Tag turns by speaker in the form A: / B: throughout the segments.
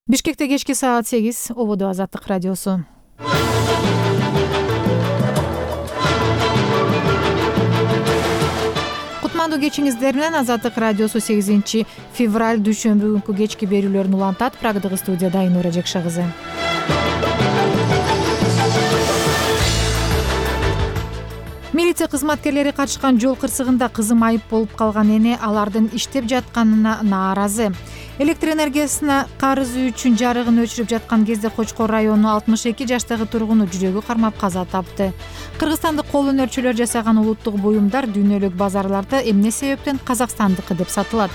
A: Бишкекте кечки саат 8, Ободо Азаттык радиосу. Кутмандуу кечиңиздер менен Азаттык радиосу 8 февраль дүйшөмбү күнкү кечки берүүлөрүн улантат. Прагдагы студияда Айнура Жекша кызы. Милиция кызматкерлери катышкан жол кырсыгында кызым айып болуп калган эне алардын иштеп жатканына нааразы. Электр энергиясына карызы үчүн жарыгын өчүрүп жаткан кезде Кочкор районунун 62 жаштагы тургуну жүрөгү кармап каза тапты. Кыргызстандык кол өнөрчүлөр жасаган улуттук буюмдар дүйнөлүк базарларда эмне себептен казакстандыкы деп сатылат?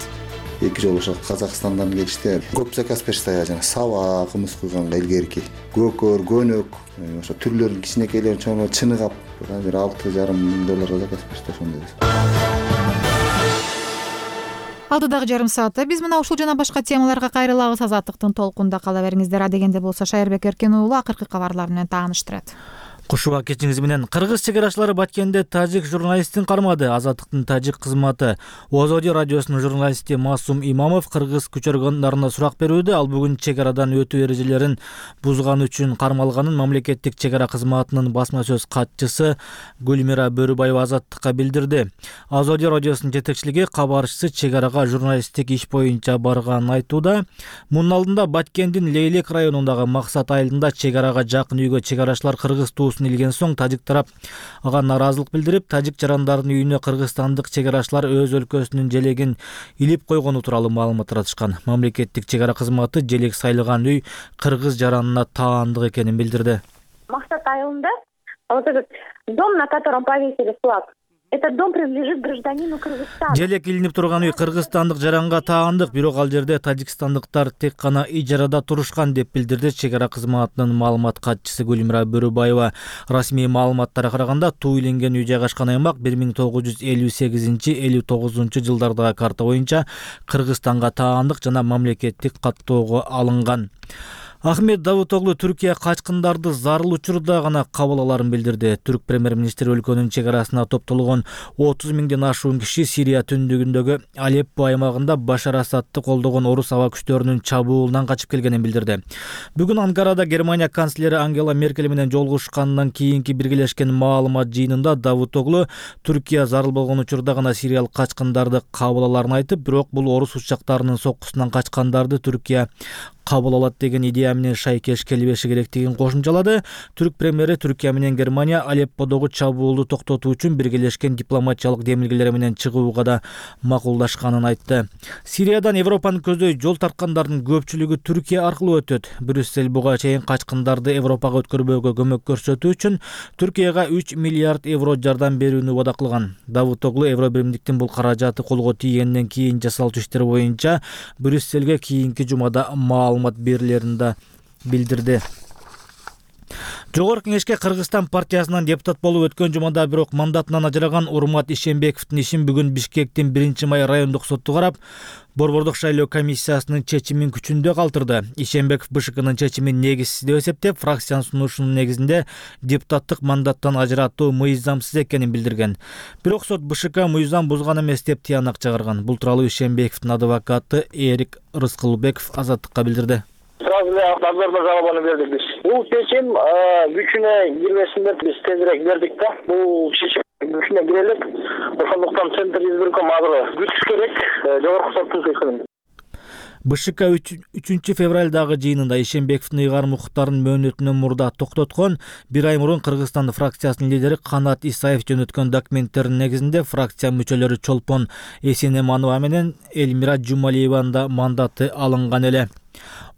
B: Эки жолу ошо Казакстандан келишти. Көп заказ беришти, жана саба, кымыз куйганга илгерки. Көкөр, көнөк, ошо түрлөрүн кичинекейлерин чоңо чыныгап, бир $6,500 заказ беришти ошондой.
A: Алдыдагы жарым саатта биз мына ушул жана башка темаларга кайрылабыз. Азаттыктын толкунда кала бериңиздер. Адегенде болсо Шайырбек Эркен уулу акыркы кабарлар менен тааныштырат.
C: Кушуба кечиңиз менен. Кыргыз чек арачылары Баткенде тажик журналистин кармады. Азаттыктын тажик кызматы Озоди радиосунун журналисти Масум Имамов кыргыз күч органдарына сурак берүүдө ал бүгүн чек арадан өтүү эрежелерин бузган үчүн кармалганын мамлекеттик чек ара кызматынын басма сөз катчысы Гүлмира Бөрүбаева Азаттыкка билдирди. Озоди радиосунун жетекчилиги кабарчысы чек арага журналисттик иш боюнча барганын айтууда. Мунун алдында Баткендин Лейлек районундагы Максат айылында чек арага жакын үйгө чек арачылар кыргыз илген соң тажик тарап ага нааразылык билдирип, тажик жарандардын үйүнө кыргызстандык чек арачылар өз өлкөсүнүн желегин илип койгону тууралуу маалымат таратышкан. Мамлекеттик чек ара кызматы желек сайлаган үй кыргыз жаранына таандык экенин билдирди.
D: Максат айылында вот этот дом, на котором повесили флаг, этот дом принадлежит гражданину Кыргызстана.
C: Желек илинип турган үй кыргызстандык жаранга таандык, бирок ал жерде тажикстандыктар тек гана ижарада турушкан деп билдирди чек ара кызматынын маалымат катчысы Гүлмира Бөрүбаева. Расмий маалыматтарга караганда туу иленген үй жайгашкан аймак 1958-59 жылдардагы карта боюнча Кыргызстанга таандык жана мамлекеттик каттоого алынган. Ахмет Давутоглу Түркия качкындарды зарыл учурда гана кабыл аларын билдирди. Түрк премьер-министри өлкөнүн чек арасына топтолгон 30 миңден ашуун киши Сирия түндүгүндөгү Алеппо аймагында Башар Асадты колдогон орус аба күчтөрүнүн чабуулунан качып келгенин билдирди. Бүгүн Анкарада Германия канцлери Ангела Меркель менен жолугушкандан кийинки биргелешкен маалымат жыйынында Давутоглу Түркия зарыл болгон учурда гана сириялык качкындарды кабыл аларын айтып, бирок бул орус учактарынын соккусунан качкандарды Түркия кабыл алат деген идея менен шайкеш келбеши керектигин кошумчалады. Түрк премьери Түркия менен Германия Алепподогу чабуулду токтотуу үчүн биргелешкен дипломатиялык демилгелер менен чыгууга да макулдашканын айтты. Сириядан Европаны көздөй жол тарткандардын көпчүлүгү Түркия аркылуу өтөт. Брюссель буга чейин качкындарды Европага өткөрбөөгө көмөк көрсөтүү үчүн Түркияга 3 миллиард евро жардам берүүнү убада кылган. Давутоглу Евро биримдиктин бул каражаты колго тийгенден кийин жасалчу иштер боюнча Брюссельге кийинки жумада маалымат берилерин билдирди. Жогорку кеңешке Кыргызстан партиясынан депутат болуп өткөн жумада бирок мандатынан ажыраган Урмат Ишембековдун ишин бүгүн Бишкектин 1-май райондук сотту карап, Борбордук шайлоо комиссиясынын чечимин күчүндө калтырды. Ишембеков БШКнын чечимин негизсиз деп эсептеп, фракциянын сунушунун негизинде депутаттык мандаттан ажыратуу мыйзамсыз экенин билдирген. Бирок сот БШК мыйзам бузган эмес деп тыянак чыгарган. Бул тууралуу Ишембековдун адвокаты Эрик Рыскылбеков Азаттыкка билдирди.
E: Сразу дозордо жалобаны бердик биз. Бул чечим күчүнө кирбесин деп биз тезирээк бердик да. Бул чечим күчүнө кирелик. Ошондуктан Центр избирком азыр күтүш керек. Жогорку соттун чечимин.
C: БШК 3 февралдагы жыйынында Ишембековдун ыйгарым укуктарын мөөнөтүнөн мурда токтоткон. Bir ай мурун Кыргызстан фракциясынын лидери Канат Исаев жөнөткөн документтердин негизинде фракция мүчөлөрү Чолпон Эсенеманова менен Элмира Жумалиеванын да мандаты алынган эле.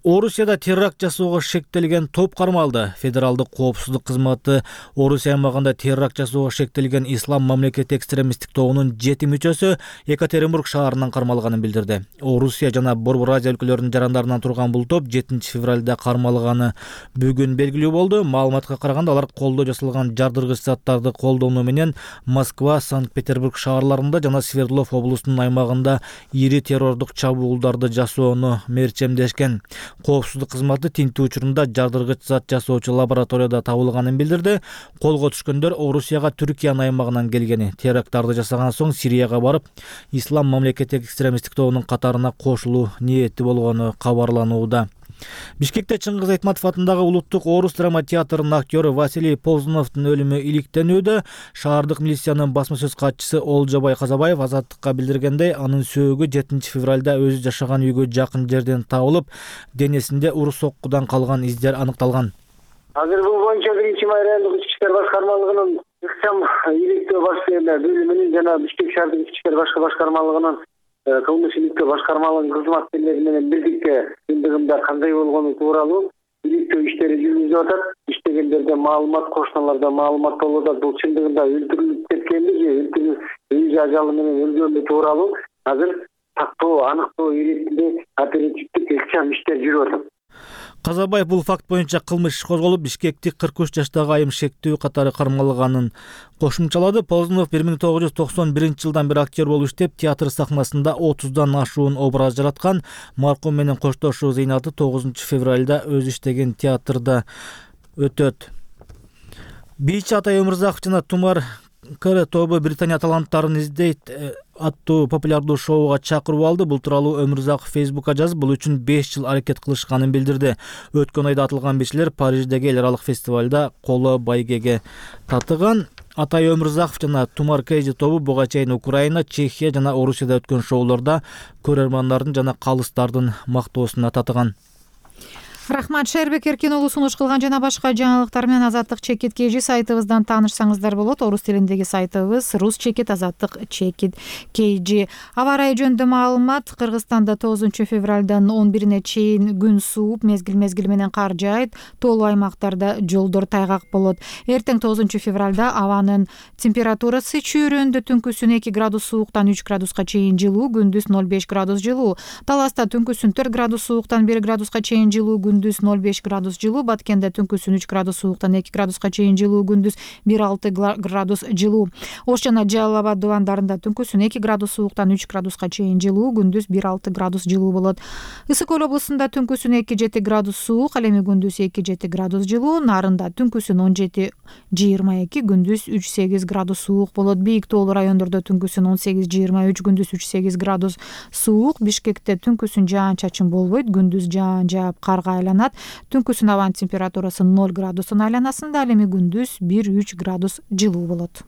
C: Орусияда теракт жасоого шектелген топ кармалды. Федералдык коопсуздук кызматы Орусия аймагында теракт жасоого шектелген Ислам мамлекети экстремисттик тобунун 7 мүчөсү Екатеринбург шаарынан кармалганын билдирди. Орусия жана Борбор Азия өлкөлөрүнүн жарандарынан турган бул топ 7 февралда кармалганы бүгүн белгилүү болду. Маалыматка караганда алар колдоо жасалган жардыргыч заттарды колдонуу менен Москва, Санкт-Петербург шаарларында жана Свердлов облусунун аймагында ири террордук чабуулдарды жасоону мерчемдешкен. Коопсуздук кызматы тинтүү учурунда жардыргыч зат жасоочу лабораторияда табылганын билдирди. Колго түшкөндөр Орусияга Түркиянын аймагынан келгени. Теракттарды жасаган соң Сирияга барып, Ислам мамлекети экстремисттик тобунун катарына кошулуу ниети болгону кабарланууда. Бишкекте Чыңгыз Айтматов атындагы улуттук орус драма театрынын актёру Василий Ползуновдун өлүмү иликтенүүдө. Шаардык милициянын басма сөз катчысы Олжобай Казабаев Азаттыкка билдиргендей, анын сөөгү 7 февралда өзү жашаган үйгө жакын жерден табылып, денесинде ур соккудан калган издер аныкталган.
E: Азыр бул боюнча 1-май райондук ички иштер башкармалыгынын ыкчам иликтөө баш бөлүмүнүн жана Бишкек шаардык ички иштер башкармалыгынын кылмыш иликтөө башкармалыгынын кызматкерлери менен бирдикте чындыгында кандай болгону тууралуу иликтөө иштери жүргүзүлүп атат. Иштегендерден маалымат, кошуналардан маалымат болуп атат. Бул чындыгында өлтүрүлүп кеткенби же үй ажалы менен өлгөнбү тууралуу азыр тактоо, аныктоо иретинде оперативдик ыкчам иштер жүрүп атат.
C: Казабаев бул факт боюнча кылмыш иш козголуп, Бишкектик 43 жаштагы айым шектүү катары кармалганын кошумчалады. Ползунов 1991 бери актер болуп иштеп, театр сахнасында 30дан ашуун образ жараткан. Маркум менен коштошуу зыйнаты 9 февралда өзү иштеген театрда өтөт. Бийчи Атай Өмүрзаков жана Тумар Кыры тобу Британия таланттарын издейт аттуу популярдуу шоуга чакырып алды. Бул тууралуу Өмүрзаков Facebook'ка жазып, бул үчүн 5 жыл аракет кылышканын билдирди. Өткөн айда атылган бишилер Париждеги эл аралык фестивалда коло байгеге татыган. Атай Өмүрзаков жана Тумар Кейджи тобу буга чейин Украина, Чехия жана Орусияда өткөн шоуларда көрөрмандардын жана калыстардын мактоосуна татыган.
A: Рахмат, Шербек Эркин уулу сунуш кылган жана башка жаңылыктар менен Азаттык Чекит KG сайтыбыздан таанышсаңыздар болот. Орус тилиндеги сайтыбыз Рус Чекит Азаттык Чекит KG. Аба ырайы жөнүндө маалымат: Кыргызстанда 9 февралдан 11-ине чейин күн сууп, мезгил менен кар жаайт. Тоолуу аймактарда жолдор тайгак болот. Эртең 9 февралда абанын температурасы чөйрөндө түнкүсүн 2 градус сууктан 3 градуска чейин жылуу, күндүз 0,5 градус жылуу. Таласта түнкүсүн 4 градус сууктан 1 градуска чейин жылуу, күндүз 0,5 градус жылуу. Баткенде түнкүсүн 3 градус сууктан 2 градуска чейин жылуу, күндүз 1,6 градус жылуу. Ош жана Жалал Абад дубандарында түнкүсүн 2 градус сууктан 3 градуска чейин жылуу, күндүз 1,6 градус жылуу болот. Ысык Көл облусунда түнкүсүн 2,7 градус суук, ал эми күндүз 2,7 градус жылуу. Нарында түнкүсүн 17,22, күндүз 3,8 градус суук болот. Бийик тоолуу райондордо түнкүсүн 18,23, күндүз 3,8 градус суук. Бишкекте түнкүсүн жаан-чачын болбойт, күндүз жаан жаап карга айланат. Түнкүсүн абанын температурасы 0 градустун айланасында, ал эми күндүз 1,3 градус жылуу болот.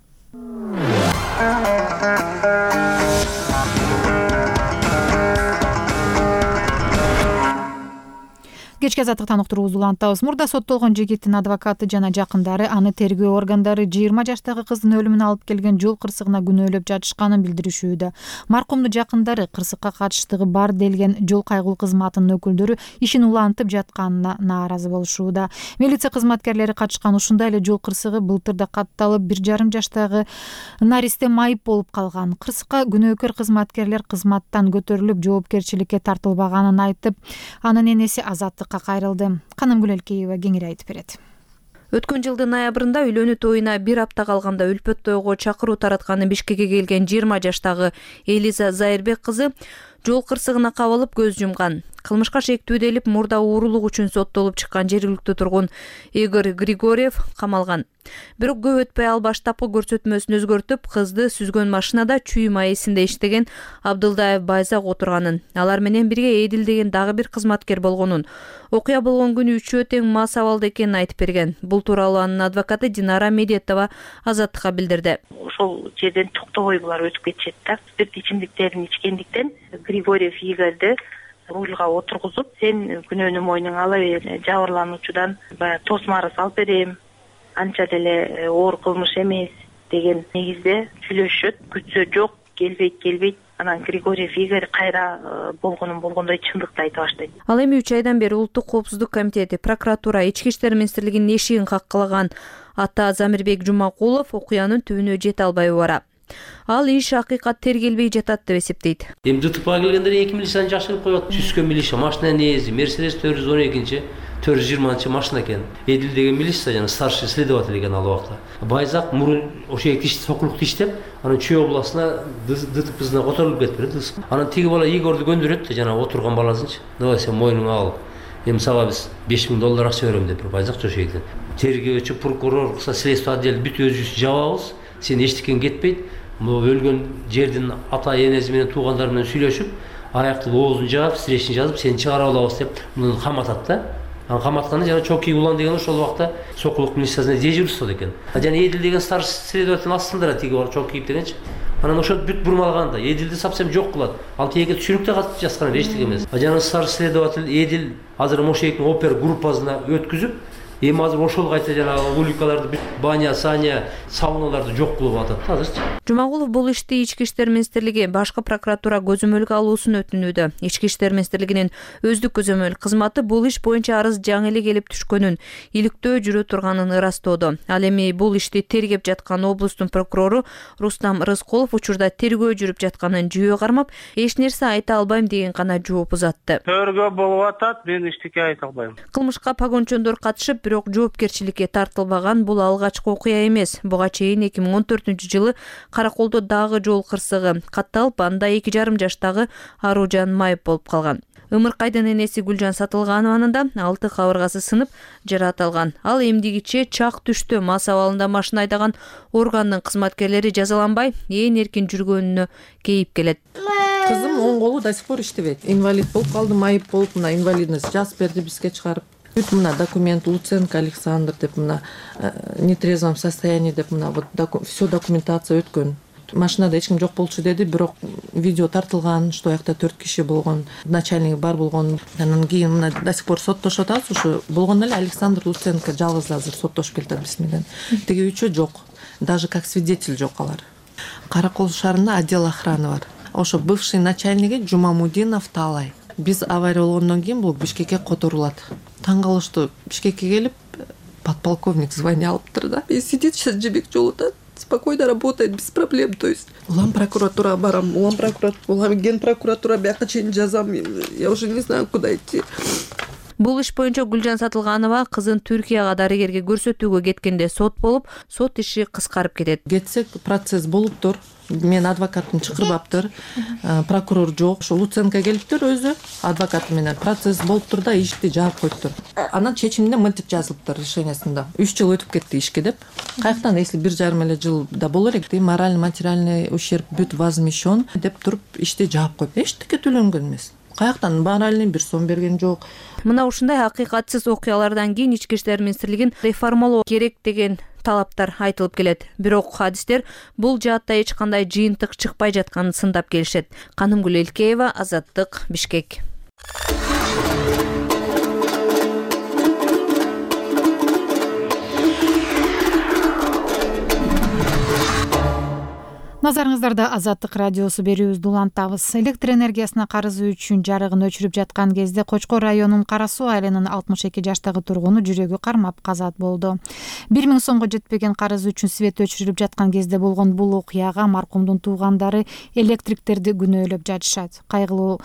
A: Кечки азаттыктан уктуруубузду улантабыз. Мурда соттолгон жигиттин адвокаты жана жакындары аны тергөө органдары 20 жаштагы кыздын өлүмүнө алып келген жол кырсыгына күнөөлөп жатышканын билдиришүүдө. Маркумдун жакындары кырсыкка катыштыгы бар делген жол кайгылуу кызматынын өкүлдөрү ишин улантып жатканына нааразы болушууда. Милиция кызматкерлери катышкан ушундай эле жол кырсыгы былтырда катталып, 1,5 жаштагы наристе майып болуп калган. Кырсыкка күнөөкөр кызматкерлер кызматтан көтөрүлүп, жоопкерчиликке тартылбаганын айтып, анын энеси азаттыкка кайрылды. Канымгүл Элкеева кеңири айтып берет.
F: Өткөн жылдын ноябрында үйлөнүү тоюна 1 апта калганда үлпөт тойго чакыруу таратканы Бишкекке келген 20 жаштагы Элиза Зайырбек кызы жол кырсыгына кабылып көз жумган. Кылмышка шектүү делип мурда уурулук үчүн соттолуп чыккан жергиликтүү тургун Игорь Григорьев камалган. Бирок көп өтпөй ал баштапкы көрсөтмөсүн өзгөртүп, кызды сүзгөн машинада чүй маесинде иштеген Абдылдаев Байзак отурганын, алар менен бирге Эдил деген дагы бир кызматкер болгонун, окуя болгон күнү үчөө тең мас абалда экенин айтып берген. Бул тууралуу анын адвокаты Динара Медетова Азаттыкка билдирди.
G: Ошол жерден токтобой булар өтүп кетишет да. Спирт ичимдиктерин ичкендиктен Григорьев Игорьды рульга отургузуп, сен күнөөнү мойнуңа ала бер, жабырлануучудан баягы тосмары салып берем, анча деле оор кылмыш эмес деген негизде сүйлөшөт. Күтсө жок, келбейт. Анан Григорьев Игорь кайра болгондой чындыкты айта баштайт.
F: Ал эми 3 айдан бери Улуттук коопсуздук комитети, прокуратура, Ички иштер министрлигинин эшигин каккылаган Ата Замирбек Жумакулов окуянын түбүнө жете албай бара. Ал иш акыйкат тергелбей жатат деп эсептейт.
H: Эми ДТПга келгендер 2 милицияны жашырып коет. Сүзгөн милиция машина нээзи Mercedes 412-чи 420-чы машина экен. Эдил деген милиция жана старший следователь экен ал убакта. Байзак мурун ошо сокулукта иштеп, анан Чүй областына ДТПсына которулуп кетти. Анан тиги бала Игорду көндүрөт, жана отурган баласынчы. Давай сен мойнуңа ал. Эми сага биз $5000 акча берем деп Байзак жошо экен. Тергөөчү, прокурор, следствие отдел бүт өзүбүз жабабыз. Сен эчтекен кетпейт. Өлгөн жердин ата энеси менен туугандары менен сүйлөшүп, аяктын оозун жаап, встречный жазып, сени чыгарып алабыз деп муну каматат да. Каматканда жана Чоки улан деген ошол убакта сокулук милициясында дежурствода экен. Жана Эдил деген старший следователь астында тиги бар Чокиев дегенчи. Анан ошо бүт бурмалганда Эдилди совсем жок кылат. Ал тиеге түшүнүктө катып жазган эчтеке эмес. Жана старший следователь Эдил азыр Мошеевдин опер группасына өткүзүп, эми азыр ошол кайта жанагы уликаларды бүт баня, саня, сауналарды жок кылып атат азырчы.
F: Жумагулов бул ишти Ички иштер министрлиги башкы прокуратура көзөмөлгө алуусун өтүнүүдө. Ички иштер министрлигинин өздүк көзөмөл кызматы бул иш боюнча арыз жаңы эле келип түшкөнүн, иликтөө жүрө турганын ырастоодо. Ал эми бул ишти тергеп жаткан облустун прокурору Рустам Рыскулов учурда тергөө жүрүп жатканын жүйө кармап, эч нерсе айта албайм деген гана жооп узатты.
I: Тергөө болуп атат, мен эчтеке айта албайм.
F: Кылмышка погончондор катышып, бирок жоопкерчиликке тартылбаган бул алгачкы окуя эмес. Буга чейин 2014-жылы Караколдо дагы жол кырсыгы катталып, анда 2,5 жаштагы Аружан майып болуп калган. Ымыркайдын энеси Гүлжан Сатылганованын да 6 кабыргасы сынып жаракат алган. Ал эмдигиче чак түштө мас абалында машина айдаган органдын кызматкерлери жазаланбай, ээн эркин жүргөнүнө кейип келет.
J: Кызым оң колу до сих пор иштебейт. Инвалид болуп калды, майып болуп, мына инвалидность жазып берди бизге чыгарып. Бүт мына документ Луценко Александр деп мына нетрезвом состоянии деп мына вот все документация өткөн. Машинада эч ким жок болчу деди, бирок видео тартылган, что аякта 4 киши болгон, начальник бар болгон. Анан кийин мына до сих пор соттошуп атабыз, ушу болгон эле Александр Луценко жалгыз азыр соттошуп келатат биз менен. Тиги үчөө жок. Даже как свидетель жок алар. Каракол шаарында отдел охраны бар. Ошо бывший начальниги Жумамудинов Талай. Биз авария болгондон кийин бул Бишкекке которулат. Таң калыштуу, Бишкекке келип подполковник звание алыптыр да. И сидит сейчас жебек жолута, спокойно работает без проблем, то есть. Улам прокуратурага барам, улам ген прокуратура бияка чейин жазам. Я уже не знаю, куда идти.
F: Бул иш боюнча Гүлжан Сатылганова кызын Түркияга дарыгерге көрсөтүүгө кеткенде сот болуп, сот иши кыскарып кетет.
J: Кетсек процесс болуптур. Мен адвокатын чакырбаптыр. Прокурор жок. Ошо Луценко келиптир өзү адвокаты менен. Процесс болуптур да, ишти жаап коюптур. Анан чечиминде мынтип жазылыптыр решениясында. 3 жыл өтүп кетти ишке деп. Каяктан, если 1,5 эле жыл да болор элек, моральный материальный ущерб бүт возмещен деп туруп ишти жаап коюп. Эчтеке төлөнгөн эмес. Каяктан моральный бир сом берген жок.
F: Мына ушундай акыйкатсыз окуялардан кийин Ички иштер министрлигин реформалоо керек деген талаптар айтылып келет. Бирок хадистер бул жаатта эч кандай жыйынтык чыкпай жатканын сындап келишет. Канымгүл Элкеева, Азаттык, Бишкек.
A: Назарыңыздарда Азаттык радиосу берүүбүздү улантабыз. Электр энергиясына карызы үчүн жарыгын өчүрүп жаткан кезде Кочкор районунун Кара Суу айылынын 62 жаштагы тургуну жүрөгү кармап казат болду. 1000 сомго жетпеген карызы үчүн свет өчүрүлүп жаткан кезде болгон бул окуяга маркумдун туугандары электриктерди күнөөлөп жатышат. Кайгылуу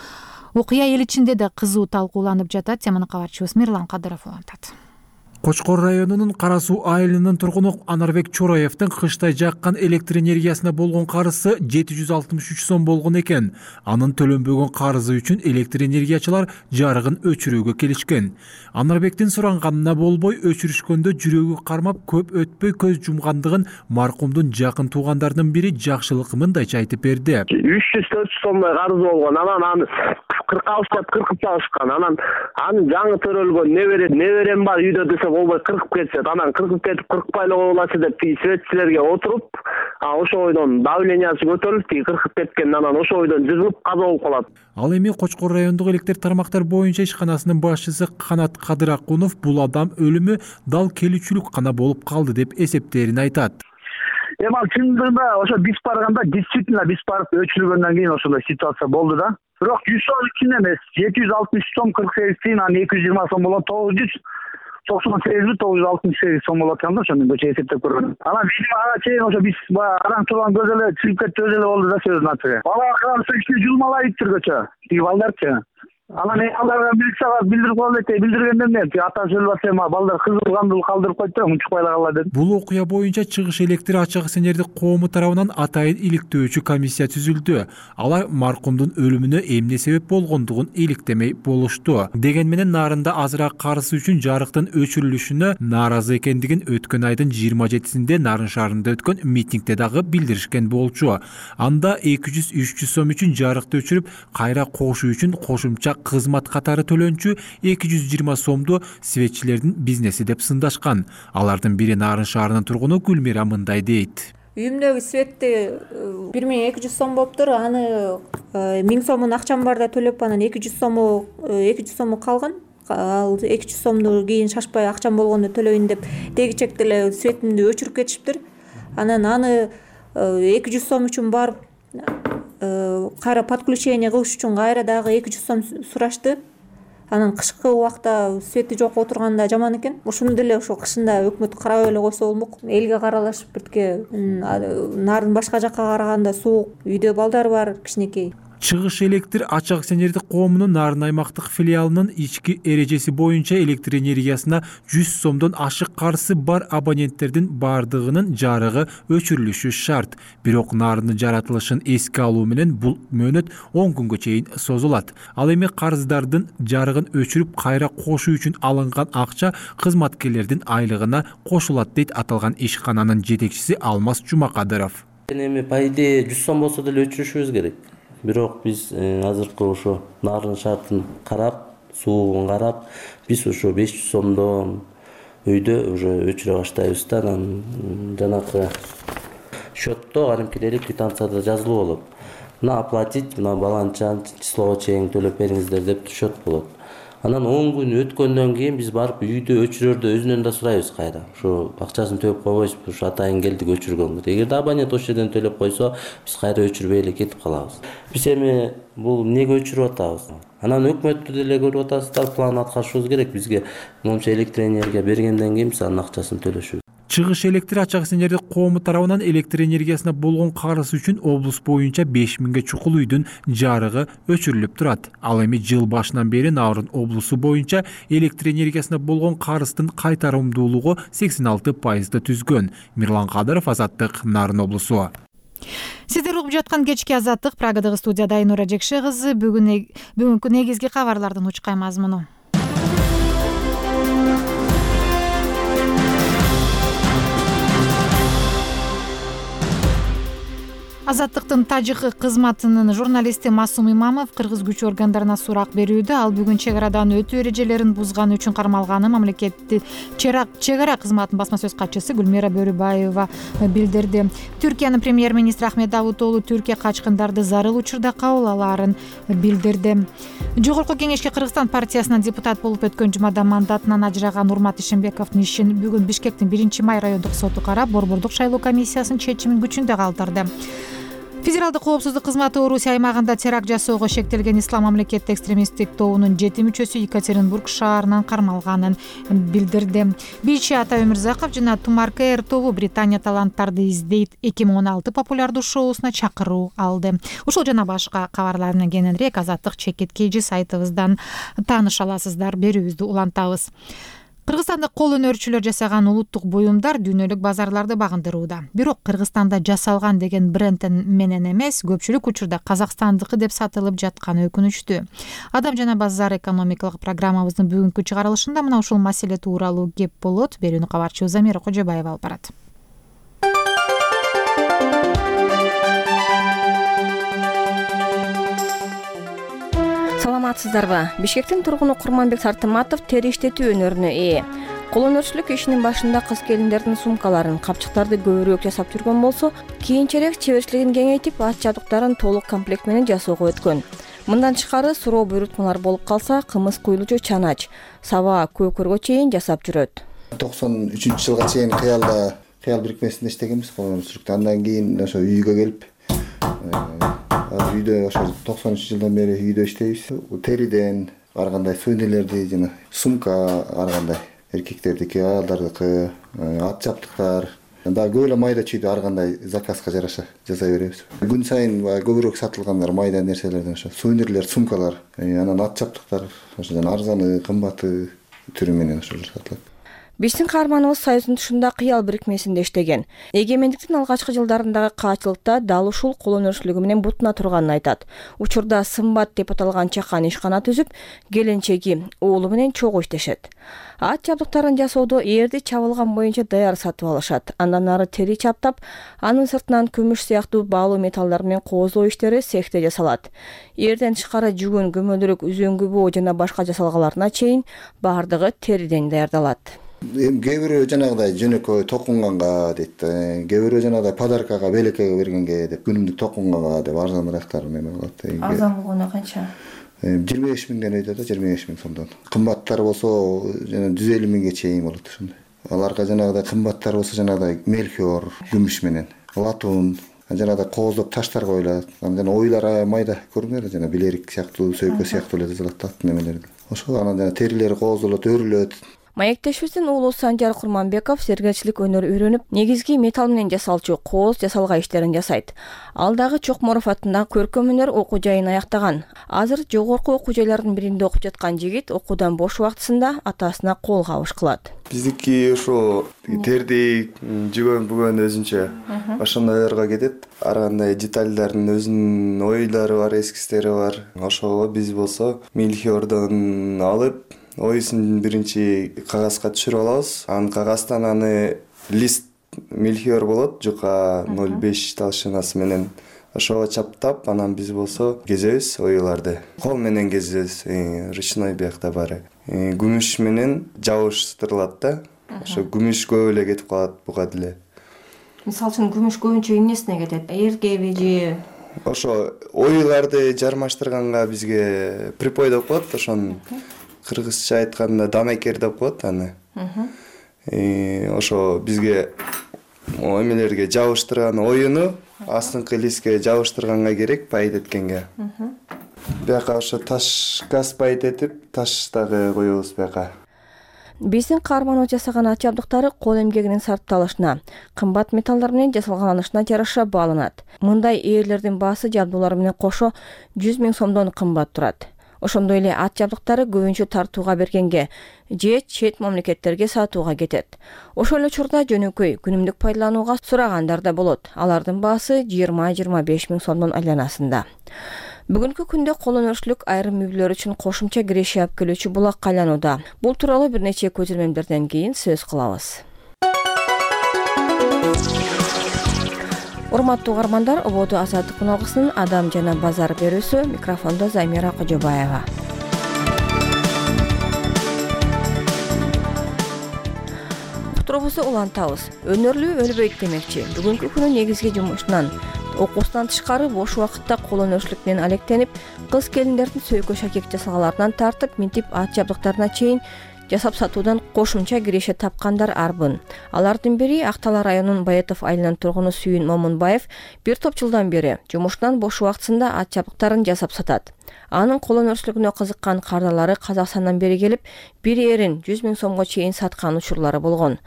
A: окуя эл ичинде да кызуу талкууланып жатат. Теманы кабарчыбыз Мирлан Кадыров улантат.
K: Кочкор районунун Кара Суу айылынын тургуну Анарбек Чороевдин кыштай жаккан электр энергиясына болгон карызы 763 сом болгон экен. Анын төлөнбөгөн карызы үчүн электр энергиячылар жарыгын өчүрүүгө келишкен. Анарбектин суранганына болбой өчүрүшкөндө жүрөгү кармап көп өтпөй көз жумгандыгын маркумдун жакын туугандарынын бири Жакшылык мындайча айтып берди.
E: 300-400 сомдой карыз болгон. Анан аны 40 алыштап 40 чалышкан. Анан аны жаңы төрөлгөн неберем бар үйдө десе болбой 40 кетет. Анан 40 кетип 40 байлы болачу деп светчилерге отуруп, ошо ойдон давлениясы көтөрүлүп, 40 кеткен. Анан ошо ойдон жыгылып каза болуп калат.
K: Ал эми Кочкор райондук электр тармактар боюнча ишканасынын башчысы Канат Кадыракунов бул адам өлүмү дал келүүчүлүк гана болуп калды деп эсептерин айтат.
E: Эми ал чындыгында ошо биз барганда действительно биз барып өчүргөндөн кийин ошондой ситуация болду да. Бирок 100 сом үчүн эмес, 760 сом 48 тиын, анан 220 сом болот, 998 сом болот экен да, ошондой көчө эсептеп көргөн. Анан видимо ага чейин ошо биз араң турган көз эле чыгып кетти, өзү эле болду да сөзүн ачыгы. Бала карасы ичине жылмалайыптыр көчө. Тиги балдарчы.
I: Анан аларга милицияга билдирип коелу дейт. Билдиргенден мен атасы өлүп атса мага балдар кызылгандыл калдырып койду да унчукпай эле кала дедим.
K: Бул окуя боюнча Чыгыш электр ачык акционердик коому тарабынан атайын иликтөөчү комиссия түзүлдү. Алар маркумдун өлүмүнө эмне себеп болгондугун иликтемей болушту. Деген менен нарында азыраак карызы үчүн жарыктын өчүрүлүшүнө нааразы экендигин өткөн айдын 27-синде Нарын шаарында өткөн митингде дагы билдиришкен болчу. Анда 200-300 сом үчүн жарыкты өчүрүп, кайра кошуу үчүн кошумча кызмат катары төлөнчү 220 сомду светчилердин бизнеси деп сындашкан. Алардын бири Нарын шаарынын тургуну Гүлмира мындай дейт.
L: Үйүмдөгү светти 1200 сом болуптур. Аны 1000 сомун акчам барда төлөп, анан 200 сому калган. Ал 200 сомду кийин шашпай акчам болгондо төлөйүн деп дегичекте эле светимди өчүрүп кетишиптир. Анан аны 200 сом үчүн барып кайра подключение кылыш үчүн кайра дагы 200 сом сурашты. Анан кышкы убакта свети жок отурганда жаман экен. Ушуну деле ошо кышында өкмөт карабай эле койсо болмок. Элге каралашып биртке нарын башка жакка караганда суук, үйдө балдар бар кичинекей.
K: Чыгыш электр ачык акционердик коомунун Нарын аймактык филиалынын ички эрежеси боюнча электр энергиясына 100 сомдон ашык карызы бар абоненттердин бардыгынын жарыгы өчүрүлүшү шарт. Бирок Нарындын жаратылышын эске алуу менен бул мөөнөт 10 күнгө чейин созулат. Ал эми карыздардын жарыгын өчүрүп кайра кошуу үчүн алынган акча кызматкерлердин айлыгына кошулат дейт аталган ишкананын жетекчиси Алмаз Жумакадыров.
M: Эми по идее 100 сом болсо деле өчүрүшүбүз керек. Бирок биз азыркы ошо Нарын шартын карап, суугун карап, биз ошо 500 сомдон үйдө уже өчүрө баштайбыз да. Анан жанакы счетто кадимкидей квитанцияда жазылуу болот. Мына оплатить, мына баланча числого чейин төлөп бериңиздер деп счет болот. Анан 10 күн өткөндөн кийин биз барып үйдө өчүрөрдө өзүнөн да сурайбыз кайра. Ошо акчасын төлөп койбойсузбу, ошо атайын келдик өчүргөнгө. Эгерде абонент ошол жерден төлөп койсо, биз кайра өчүрбөй эле кетип калабыз. Биз эми бул эмнеге өчүрүп атабыз? Анан өкмөттү деле көрүп атасыздар, план аткарышыбыз керек. Бизге момча электроэнергия бергенден кийин биз анын акчасын төлөшүбүз.
K: Чыгыш электр ачык акционердик коому тарабынан электр энергиясына болгон карыз үчүн облус боюнча 5000 чукул үйдүн жарыгы өчүрүлүп турат. Ал эми жыл башынан бери Нарын облусу боюнча электр энергиясына болгон карыздын кайтарымдуулугу 86% түзгөн. Мирлан Кадыров, Азаттык, Нарын облусу.
A: Сиздер угуп жаткан кечки Азаттык, Прагадагы студияда Айнура Жекше кызы. Бүгүнкү негизги кабарлардын учкай мазмуну. Азаттыктын тажик кызматынын журналисти Масум Имамов кыргыз күч органдарына сурак берүүдө. Ал бүгүн чек арадан өтүү эрежелерин бузганы үчүн кармалганы мамлекеттик чек ара кызматынын басма сөз катчысы Гүлмира Бөрүбаева билдирди. Түркиянын премьер-министри Ахмет Давутоглу Түркия качкындарды зарыл учурда кабыл алаарын билдирди. Жогорку кеңешке Кыргызстан партиясынан депутат болуп өткөн жумада мандатынан ажыраган Урмат Ишенбековдун ишин бүгүн Бишкектин 1-май райондук соту карап, Борбордук шайлоо комиссиясынын чечимин күчүндө калтырды. Федералдык коопсуздук кызматы Орусия аймагында теракт жасоого шектелген ислам мамлекети экстремисттик тобунун 7 мүчөсү Екатеринбург шаарынан кармалганын билдирди. Бичи Ата Өмүрзаков жана Тумаркер тобу Британия таланттарды издейт 2016 популярдуу шоусуна чакыруу алды. Ушул жана башка кабарлардан кененирээк Азаттык чекиткейжи сайтыбыздан тааныша аласыздар. Берүүбүздү улантабыз. Кыргызстанда кол өнөрчүлөр жасаган улуттук буюмдар дүйнөлүк базарларды багындырууда. Бирок Кыргызстанда жасалган деген бренд менен эмес, көпчүлүк учурда казакстандыкы деп сатылып жатканы өкүнүчтүү. Адам жана базар экономикалык программабыздын бүгүнкү чыгарылышында мына ушул маселе тууралуу кеп болот. Берүүнү кабарчыбыз Замира Кожобаева алып барат.
N: Саламатсыздарбы? Бишкектин тургуну Курманбек Сартыматов тери иштетүү өнөрүнө ээ. Кол өнөрчүлүк ишинин башында кыз келиндердин сумкаларын, капчыктарды көбүрөөк жасап жүргөн болсо, кийинчерээк чеберчилигин кеңейтип, ат жабдыктарын толук комплект менен жасоого өткөн. Мындан тышкары суроо буйрутмалар болуп калса, кымыз куйлуучу чанач, саба, көкөргө чейин жасап жүрөт.
B: 93-жылга чейин кыял бирикмесинде иштегенбиз кол өнөрчүлүктө. Андан кийин ошо үйгө келип үйдө ошо 93-жылдан бери үйдө иштейбиз. Териден ар кандай сүйнөлөрдү жана сумка ар кандай эркектердики, аялдардыкы, ат жабдыктар, Дагы көп эле майда чүйдү ар кандай заказга жараша жасай беребиз. Күн сайын баягы көбүрөөк сатылгандар майда нерселерден ошо сувенирлер, сумкалар, анан ат жабдыктар, ошо жана арзаны, кымбаты түрү менен ошолор сатылат.
N: Биздин каарманыбыз Союздун тышында кыял бирикмесинде иштеген. Эгемендиктин алгачкы жылдарындагы каачылыкта дал ушул кол өнөрчүлүгү менен бутуна турганын айтат. Учурда Сымбат деп аталган чакан ишкана түзүп, келинчеги, уулу менен чогуу иштешет. Ат жабдыктарын жасоодо ээрди чабылган боюнча даяр сатып алышат. Андан ары тери чаптап, анын сыртынан күмүш сыяктуу баалуу металлдар менен кооздоо иштери цехте жасалат. Эрден тышкары жүгүн, көмөлдүрүк, үзөңгү боо жана башка жасалгаларына чейин баардыгы териден даярдалат.
B: Кээ бирөө жанагыдай жөнөкөй токунганга дейт, кээ бирөө жанагыдай подаркага, белекеге бергенге деп, күнүмдүк токунганга деп арзаныраактар неме болот.
N: Арзан болгону канча?
B: 25 миңден өйдө да, 25 миң сомдон. Кымбаттар болсо жана 150 миңге чейин болот ошондой. Аларга жанагыдай кымбаттар болсо жанагыдай мельхиор, күмүш менен, латун, жанагыдай кооздоп таштар коюлат. Жана ойлар майда көрүнөр, жана билерик сыяктуу, сөйкө сыяктуу эле жасалат ат немелер. Ошол анан жана терилери кооздолот, өрүлөт.
N: Маектешибиздин уулу Санжар Курманбеков сергелчилик өнөр үйрөнүп, негизги металл менен жасалчу кооз жасалга иштерин жасайт. Ал дагы Чокморов атындагы көркөм өнөр окуу жайын аяктаган. Азыр жогорку окуу жайлардын биринде окуп жаткан жигит окуудан бош убактысында атасына кол кабыш кылат.
O: Биздики ошо тердик, жүгөн бүгөн өзүнчө ошондойлорго кетет. Ар кандай детальдардын өзүнүн ойлору бар, эскистери бар. Ошого биз болсо мельхиордон алып, оюсун биринчи кагазга түшүрүп алабыз. Анан кагаздан аны лист мельхиор болот, жука 0,5 толщинасы менен ошого чаптап, анан биз болсо кезебиз оюларды. Кол менен кезебиз, ручной биякта баары. Күмүш менен жабыштырылат да. Ошо күмүш көп эле кетип калат буга деле.
N: Мисалы үчүн күмүш көбүнчө эмнесине кетет? Эркеби же
O: ошо оюларды жармаштырганга бизге припой деп коет, ошону кыргызча айтканда дамайкер деп коет аны. Ошо бизге эмелерге жабыштырган оюну астыңкы листке жабыштырганга керек, пайт эткенге. Бияка ошо таш газ пайт этип, таш дагы коебуз бияка.
N: Биздин каарманыбыз жасаган ат жабдыктары кол эмгегинин сарпталышына, кымбат металлдар менен жасалганышына жараша бааланат. Мындай ээрлердин баасы жабдуулар менен кошо 100 миң сомдон кымбат турат. Ошондой эле ат жабдыктары көбүнчө тартууга бергенге же чет мамлекеттерге сатууга кетет. Ошол эле учурда жөнөкөй күнүмдүк пайдаланууга сурагандар да болот. Алардын баасы 20-25 миң сомдон айланасында. Бүгүнкү күндө кол өнөрчүлүк айрым үйлөр үчүн кошумча киреше алып келүүчү булакка айланууда. Бул тууралуу бир нече көзөмөлдөрдөн кийин сөз кылабыз. Урматтуу угармандар, ободо азаттык үналгысынын Адам жана базар берүүсү, микрофондо Замира Кожобаева. Уктуруубузду улантабыз. Өнөрлүү өлбөйт демекчи. Бүгүнкү күнү негизги жумушунан, окуусунан тышкары бош убакытта кол өнөрчүлүк менен алектенип, кыз келиндердин сөйкө шакек жасалгаларынан тартып, минтип ат жабдыктарына чейин жасап сатуудан кошумча киреше тапкандар арбын. Алардын бири Актала районунун Баятов айылынын тургуну Сүйүн Момунбаев бир топ жылдан бери жумушунан бош убактысында ат жабдыктарын жасап сатат. Анын кол өнөрчүлүгүнө кызыккан кардалары Казакстандан бери келип, бир эрин 100 миң сомго чейин саткан учурлары болгон.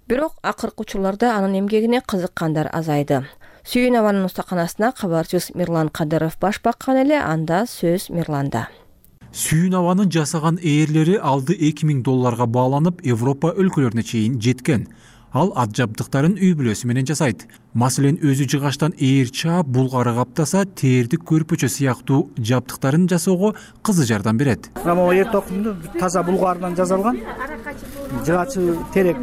N: Бирок акыркы учурларда анын эмгегине кызыккандар азайды. Сүйүн абанын устаканасына кабарчыбыз Мирлан Кадыров баш баккан эле, анда сөз Мирланда.
K: Сүйүн абанын жасаган ээрлери алды $2000 бааланып, Европа өлкөлөрүнө чейин жеткен. Ал ат жабдыктарын үй бүлөсү менен жасайт. Маселен, өзү жыгаштан ээр чаап, булгары каптаса, тердик көрпөчө сыяктуу жабдыктарын жасоого кызы жардам берет.
I: Могу эр токумду таза булгардан жасалган. Жыгачы терек.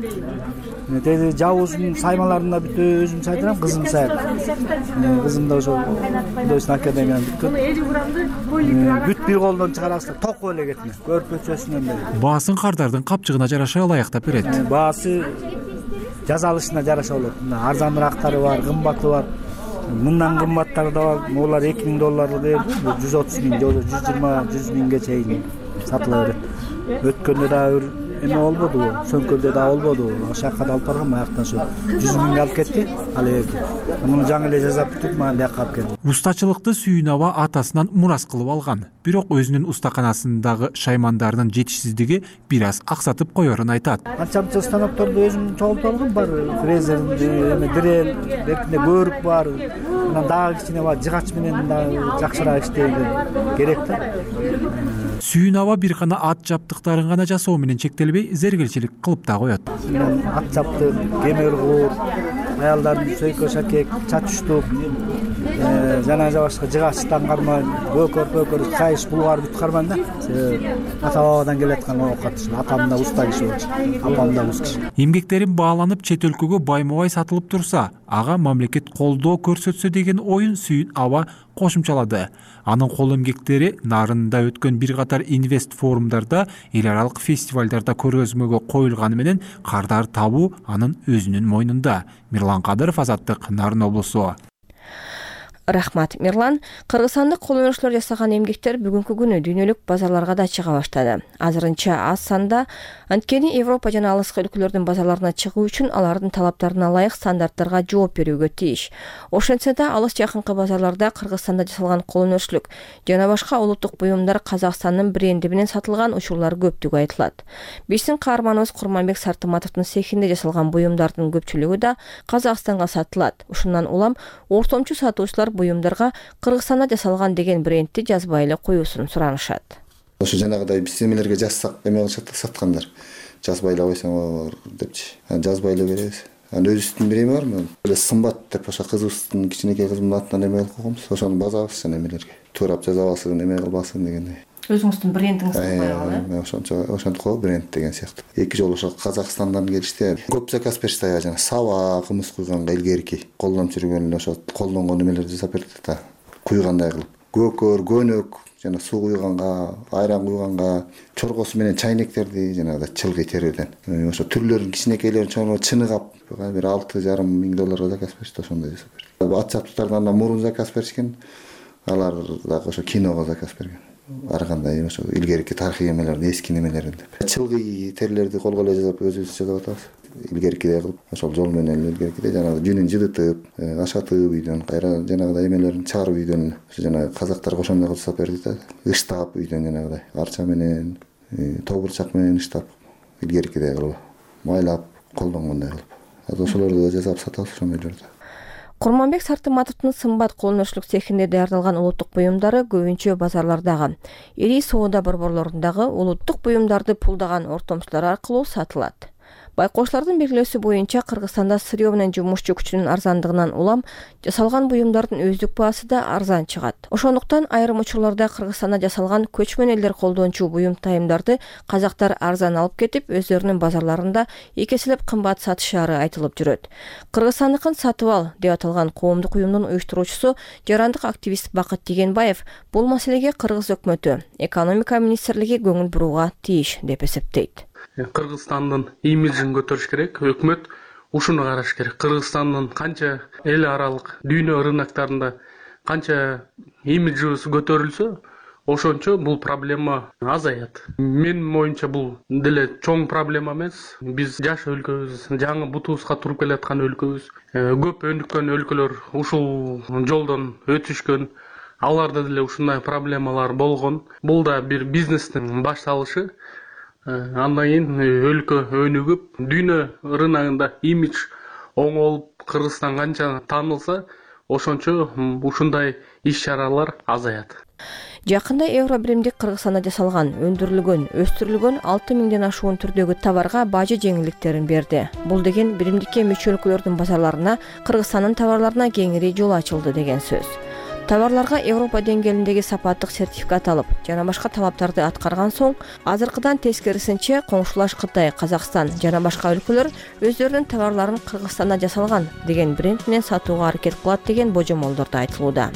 I: Жабуусун саймаларында бүт өзүм сайдырам, кызым сайат. Кызым да ошо Художественный академияны бүткөн. Бүт бир колдон чыгарасыз, токко эле кетме. Көрпөчөсүнөн бери.
K: Баасын кардардын капчыгына жараша ылайыктап берет.
I: Баасы жасалышына жараша болот. Арзаныраактары бар, кымбаты бар. Мындан кымбаттары да бар. Булар $2000 берди, 130 миң, 120-100 миңге чейин сатыла берет. Өткөндө да эме болбоду, сөмкөлдө да болбоду. Ошол жака да алып баргам, аяктан ошо 100 миңге алып кетти. Ал жерде. Муну жаңы эле жасап бүттүк, мага бияка алып келди.
K: Устачылыкты Сүйүн аба атасынан мурас кылып алган. Бирок өзүнүн устаканасындагы шаймандарынын жетишсиздиги бир аз аксатып коерун айтат.
I: Анча станокторду өзүм чогултуп алгам, бар фрезер, эме дрель, эркинде көрүк бар. Анан дагы кичине бар жыгач менен дагы жакшыраак иштейди керек да.
K: Сүйүн аба бир гана ат жаптыктарын гана жасоо менен чектелбей, зергелчилик кылып да коет.
I: Ат жаптык, кемер куур, аялдардын сөйкө шакек, чачуштук, жана башка жыгач таңгарма, көкөр, кайыш, булгар бүт карман да. Ата-бабадан келаткан оокат. Атам да уста киши болчу, апам да уз киши.
K: Эмгектерин бааланып чет өлкөгө байма-бай сатылып турса, ага мамлекет колдоо көрсөтсө деген оюн Сүйүн аба кошумчалады. Анын кол эмгектери нарында өткөн бир катар инвест форумдарда, эл аралык фестивалдарда көргөзмөгө коюлганы менен кардар табуу анын өзүнүн мойнунда. Мирлан Кадыров, Азаттык, Нарын облусу.
N: Рахмат, Мирлан. Кыргызстандык кол өнөрчүлөр жасаган эмгектер бүгүнкү күнү дүйнөлүк базарларга да чыга баштады. Азырынча аз санда, анткени Европа жана алыскы өлкөлөрдүн базарларына чыгуу үчүн алардын талаптарына ылайык стандарттарга жооп берүүгө тийиш. Ошентсе да алыс жакынкы базарларда Кыргызстанда жасалган кол өнөрчүлүк жана башка улуттук буюмдар Казакстандын бренди менен сатылган учурлар көптүгү айтылат. Биздин каарманыбыз Курманбек Сартыматовдун цехинде жасалган буюмдардын көпчүлүгү да Казакстанга сатылат. Ушундан улам ортомчу сатуучулар буюмдарга Кыргызстанда жасалган деген брендти жазбай эле коюусун суранышат.
B: Ошо жанагыдай биз эмелерге жазсак эме кылышат саткандар. Жазбай эле койсоңор депчи. Жазбай эле беребиз. Өзүбүздүн бир эме бармы? Эле сымбат деп ошо кызыбыздын кичинекей кызымдын атынан эме кылып койгонбуз. Ошону базабыз жана эмелерге. Туурап жаза алсын, эме кылбасын дегендей.
N: Өзүңүздүн брендиңизди коюп
B: ошентип коюп бренд деген сыяктуу. Эки жолу ошо Казакстандан келишти. Көп заказ беришти жана саба, кымыз куйганга илгерки колдонуп жүргөн ошо колдонгон эмелерди жасап берди да. Куйгандай кылып. Көкөр, көнөк жана суу куйганга, айран куйганга, чоргосу менен чайнектерди жанагыдай чылгый терүүдөн. Ошо түрлөрүн кичинекейлерин чоңо чыныгап, бир $6,5 заказ беришти, ошондой жасап берди. Ат жаптыктардан мурун заказ беришкен. Алар дагы ошо киного заказ берген. Ар кандай ошо илгерки тарыхый эмелерди, эски немелерин деп. Чылгый терлерди колго эле жасап өзүбүз жасап атабыз. Илгеркидей кылып, ошол жол менен илгеркидей жанагы жүнүн жыдытып, ашатып үйдөн, кайра жанагыдай эмелерин чыгарып үйдөн, ошо жанагы казактар ошондой кылып жасап берди да. Ыштап үйдөн жанагыдай арча менен, тобурчак менен ыштап, илгеркидей кылып, майлап, колдонгондой кылып. Ошолорду да жасап сатабыз ошондойлорду.
N: Курманбек Сартыматовдун сымбат кол өнөрчүлүк цехинде даярдалган улуттук буюмдары көбүнчө базарлардагы, ири соода борборлорундагы улуттук буюмдарды пулдаган ортомчулар аркылуу сатылат. Байкоочулардын белгилөөсү боюнча Кыргызстанда сырьё менен жумушчу күчүнүн арзандыгынан улам жасалган буюмдардын өздүк баасы да арзан чыгат. Ошондуктан айрым учурларда Кыргызстанда жасалган көчмөн элдер колдончу буюм тайымдарды казактар арзан алып кетип, өздөрүнүн базарларында эки эселеп кымбат сатышары айтылып жүрөт. Кыргызстандыкын сатып ал деп аталган коомдук уюмдун уюштуруучусу жарандык активист Бакыт Дегенбаев бул маселеге Кыргыз өкмөтү, экономика министрлиги көңүл бурууга тийиш деп эсептейт.
P: Кыргызстандын имиджин көтөрүш керек, өкмөт ушуну караш керек. Кыргызстандын канча эл аралык дүйнө рыноктарында канча имиджибиз көтөрүлсө, ошончо бул проблема азаят. Менин оюмча бул деле чоң проблема эмес. Биз жаш өлкөбүз, жаңы бутубузга туруп келаткан өлкөбүз. Көп өнүккөн өлкөлөр ушул жолдон өтүшкөн. Аларда деле ушундай проблемалар болгон. Бул да бир бизнестин башталышы. Андан кийин өлкө өнүгүп, дүйнө рыногунда имидж оңолуп, Кыргызстан канча таанылса, ошончо ушундай иш-чаралар азаят.
N: Жакында евро биримдик Кыргызстанда жасалган, өндүрүлгөн, өстүрүлгөн 6.000ден ашуун түрдөгү товарга бажы жеңилдиктерин берди. Бул деген биримдикке мүчө өлкөлөрдүн базарларына, Кыргызстандын товарларына кеңири жол ачылды деген сөз. Товарларга Европа деңгээлиндеги сапаттык сертификат алып, жана башка талаптарды аткарган соң, азыркыдан тескерисинче коңшулаш Кытай, Казакстан жана башка өлкөлөр өздөрүнүн товарларын Кыргызстанда жасалган деген бренд менен сатууга аракет кылат деген божомолдор да айтылууда.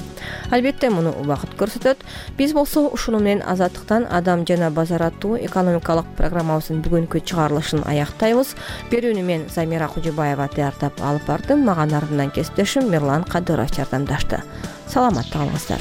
N: Албетте муну убакыт көрсөтөт. Биз болсо ушуну менен Азаттыктан Адам жана базар аттуу экономикалык программабыздын бүгүнкү чыгарылышын аяктайбыз. Берүүнү мен Замира Кужубаева даярдап алып бардым. Мага нарынан кесиптешим Мирлан Кадыров жардамдашты. Саламатта калыңыздар.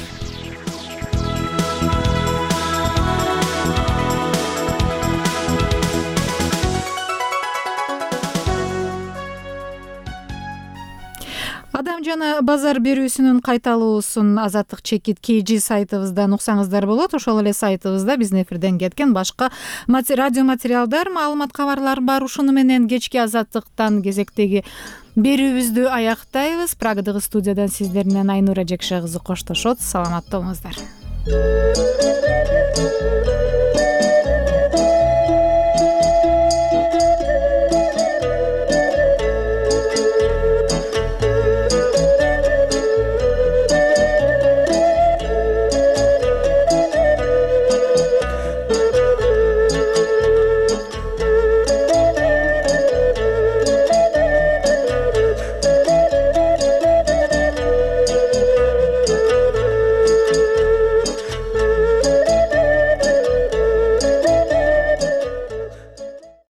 A: Адам жана базар берүүсүнүн кайталуусун Азаттык чекит KG сайтыбыздан уксаңыздар болот. Ошол эле сайтыбызда биздин эфирден кеткен башка радио материалдар, маалымат, кабарлар бар. Ушуну менен кечки Азаттыктан кезектеги берүүбүздү аяктайбыз. Прагадагы студиядан сиздер менен Айнура Жекше кызы коштошот. Саламатта болуңуздар.